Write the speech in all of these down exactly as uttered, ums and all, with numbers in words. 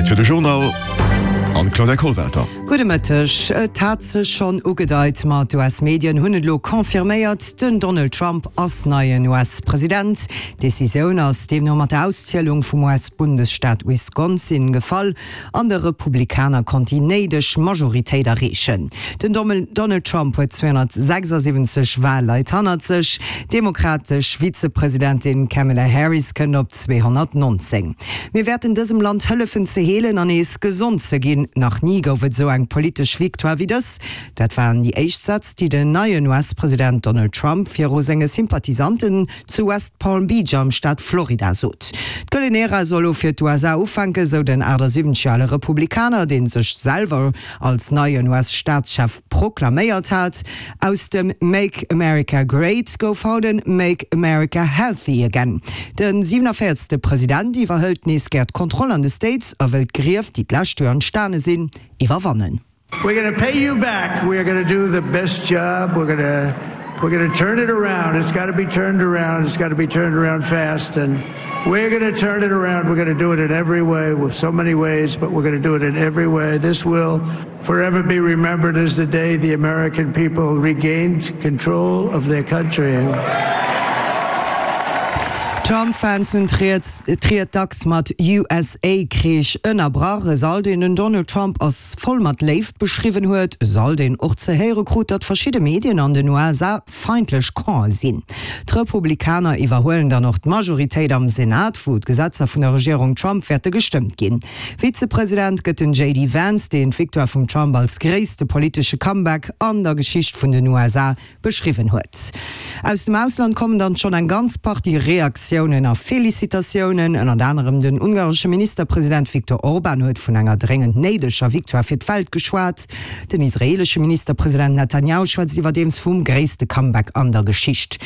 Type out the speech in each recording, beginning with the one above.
Zäit fir de Journal an d'Claudia Kollwelter. Gudde Mëtteg. Et hat sech schonn ugedeit, ma d'U S-Medien hunn et elo confirméiert, Den Donald Trump ass neien U S-President. D'Decisioun ass deemno mat der Auszielung vum U S-Bundesstaat Wisconsin gefall an de Republikaner konnt déi néideg Majoritéit erreechen. Den Donald Trump huet zweehonnertsechsasiwwenzeg Wahlleit hannert sech, d'demokratesch Vizepresidentin Kamala Harris kënnt op zweehonnertnonzéng. Mir wäerten dësem Land hëllefen ze heelen an nees gesond ze ginn. Nach ni gouf et esou eng politesch Victoire wéi dës. Dat waren déi éischt Sätz, déi den neien U S-President Donald Trump viru senge Sympathisanten zu West Palm Beach am Staat Florida sot. D'gëllen Ära soll elo fir d'U S A ufänken, sou den aachtasiwwenzeg Joer ale Republikaner, dee sech selwer als neien U S-Staatschef proklaméiert hat. Aus dem Make America Great gouf haut en Make America Healthy Again. De siewenenvéierzegste President iwwerhëlt nees gär d'Kontroll an de States a wëll d'Grief, déi d'lescht Joer entstane sinn, iwwerwannen. We're going to pay you back. We are going to do the best job. We're going to we're going to turn it around. It's got to be turned around. It's got to be turned around fast and we're going to turn it around. We're going to do it in every way, with so many ways, but we're going to do it in every way. This will forever be remembered as the day the American people regained control of their country. Trump-Fans hunn d'Ried dacks mat U S A-Kreesch ënnerbrach. E Sall, deen den Donald Trump als voll mat Léift beschriwwen huet, e Sall, deen och ze héiere krut, datt verschidde Medien an den U S A feindlech ka sinn. D'Republikaner iwwerhuelen dann och d'Majoritéit am Senat, wou d'Gesetzer vun der Regierung Trump wäerte gestëmmt ginn. Vizepresident gëtt den J D Vance, deen d'Victoire vum Trump als gréisste politesche Comeback an der Geschicht vun den U S A beschriwwen huet. Aus dem Ausland kommen dann schonn eng ganz Partie Reaktiounen a Felicitatiounen. Ënnert anerem den ungaresche Ministerpresident Viktor Orban huet vun enger dréngend néideger Victoire fir d'Welt geschwat. Den israeelesche Ministerpresident Netanjahu schwätzt iwwerdeems vum gréisste Comeback an der Geschicht.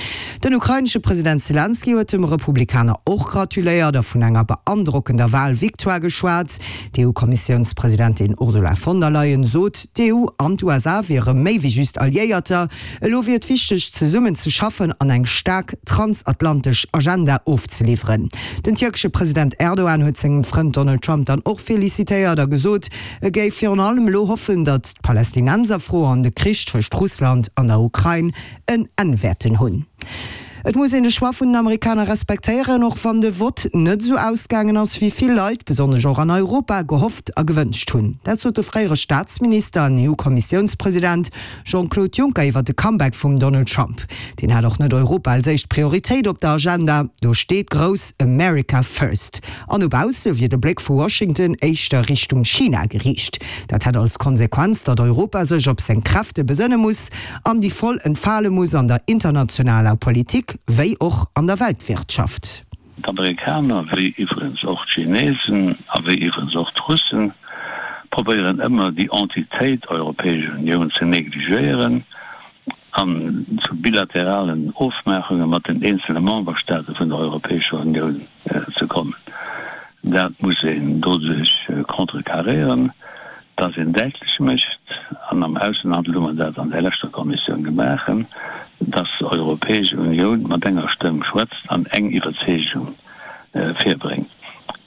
Den ukrainesche President Selenskyj huet dem Republikaner och gratuléiert a vun enger beandrockender Walvictoire geschwat. D'E U-Kommissiounspresidentin Ursula von der Leyen sot, d'E U an d'U S A wiere méi wéi just Alliéierter. Elo wier et wichteg, zesummen ze schaffen an eng staark transatlantesch Agenda ofzeliwweren. Den tierkesche President Erdogan huet sengem Frënd Donald Trump dann och felicitéiert a gesot, e géif virun allem elo hoffen, datt d'Palästinenserfro an de Krich tëscht Russland an der Ukrain en Enn wäerten hunn. Et muss een de Choix vun den Amerikaner respektéieren, och wann de Vott net esou ausgaangen ass, wéi vill Leit, besonnesch och an Europa, gehofft a gewënscht hunn. Dat sot de fréiere Staatsminister an E U-Kommissiounspresident Jean-Claude Juncker iwwer de Comeback vum Donald Trump. Deen hat och net Europa als éischt Prioritéit op der Agenda, do steet grouss America First. An no bausse wier de Bléck vu Washington éischter Richtung China geriicht. Dat hätt als Konsequenz, datt Europa sech op seng Kräfte besënne muss an déi voll entfale muss an der internationaler Politik wéi och an der Weltwirtschaft. D'Amerikaner, wéi iwwregens och d'Chinesen a wéi iwwregens och d'Russen, probéieren ëmmer déi Entitéit Europäesch Unioun ze negligéieren an zu bilateralen Ofmaachunge mat den eenzele Memberstaate vun der Europäescher Unioun ze kommen. Dat muss een doduerch contrecarréieren, dass een däitlech mécht, an am Aussenhandel hu mer dat an der leschter Kommissioun gemaach, dass d'Europäesch Unioun mat enger Stëmm schwätzt an eng Iwwerzeegung virbréngt.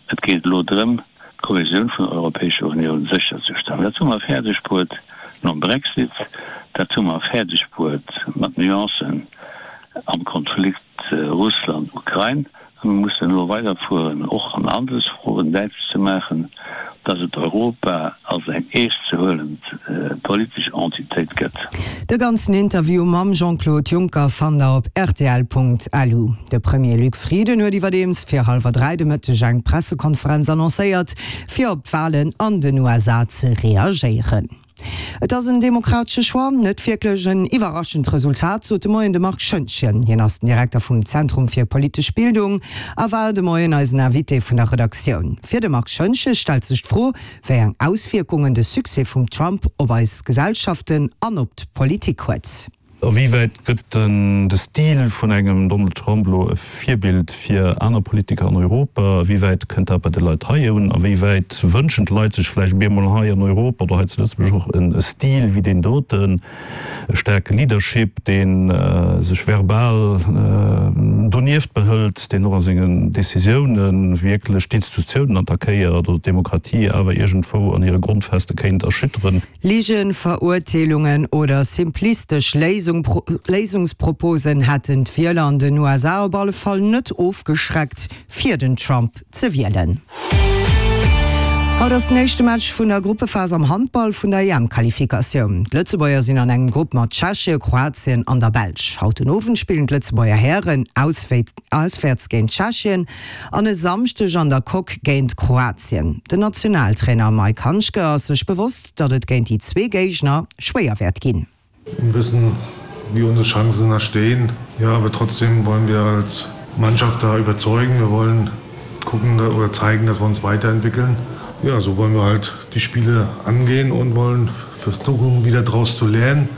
Et geet elo drëm, d'Kohesioun vun der Europäescher Unioun sécherzestellen. Dat hu mer fäerdeg bruet nom Brexit, dat hu mer fäerdeg bruet mat Nuancen am Konflikt Russland-Ukrain. A mir mussen elo weiderfueren, och an Handelsfroen däitlech ze maachen, dass et Europa als eng eeschtzehuelend politesch Entitéit gëtt. De ganzen Interview mam Jean-Claude Juncker fannt der op rtl Punkt L U. De Premier Luc Frieden huet iwwerdeems fir hallwer dräi de Mëtteg eng Pressekonferenz annoncéiert, fir op d'Walen an den U S A ze reagéieren. Et ass en demokratesche Choix, net wierklech en iwwerraschend Resultat, sot de Moien de Marc Schoentgen. Hien ass den Direkter vum Zentrum fir politesch Bildung a war de Moien eisen Invité vun der Redaktioun. Fir de Marc Schoentgen stellt sech d'Fro, wéi eng Auswierkungen de Succès vum Trump op eis Gesellschaften an op d'Politik huet. A wéi wäit gëtt de Stil vun engem Donald Trump elo e Virbild fir aner Politiker an Europa? A wéi wäit kënnt dat bei de Leit hei un? A wéi wäit wënschen d'Leit sech vläicht bemol hei an Europa oder hei zu Lëtzebuerg och e Stil wéi deen doten, e staarke Leadership, dee sech verbal donieft behëlt, deen och a sengen Decisioune wierklech d'Institutiounen attackéiert oder d'Demokratie awer iergendwou an hire Grondfeste kéint erschütteren? Ligen, Verurteelungen oder simplistesch Léisungsproposen hätten d'Wieler an den U S A op alle Fall net ofgeschreckt, fir den Trump ze wielen. Haut ass den éischte Match vun der Gruppephas am Handball vun der E M-Qualifikatioun. D'Lëtzebuerger sinn an engem Grupp mat Tschechien, Kroatien an der Belsch. Haut den Owend spillen d'Lëtzebuerger Hären auswäerts géint Tschechien an e Samschdeg an der Coque géint Kroatien. Den Nationaltrainer Maik Handschke ass sech bewosst, datt et géint déi zwee Géigner schwéier wäert ginn. Wir wissen, wie unsere Chancen da stehen. Ja, aber trotzdem wollen wir als Mannschaft da überzeugen. Wir wollen gucken oder zeigen, dass wir uns weiterentwickeln. Ja, so wollen wir halt die Spiele angehen und wollen versuchen, wieder daraus zu lernen,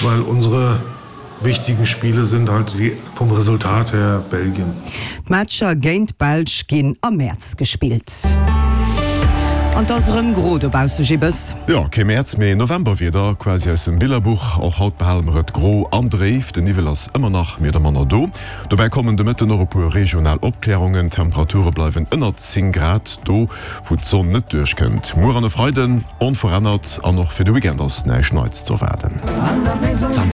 weil unsere wichtigen Spiele sind halt die vom Resultat her Belgien. D'Matcher géint d'Belsch ginn am Mäerz gespillt. An et ass erëm gro dobausse, Gibbes. Jo, kee Mäerz, mee Novemberwieder, quasi aus dem Billerbuch. Och haut behale mer et gro an dréif, den Niwwel ass ëmmer nach méi oder manner do. Dobäi kommen de Mëtten och e puer regional Opklärungen. D'Temperature bleiwen ënnert zéng Grad, do wou d'Sonn net duerchkënnt. Muer an e Freiden onverännert an och fir de Weekend ass näischt Neits z'erwaarden.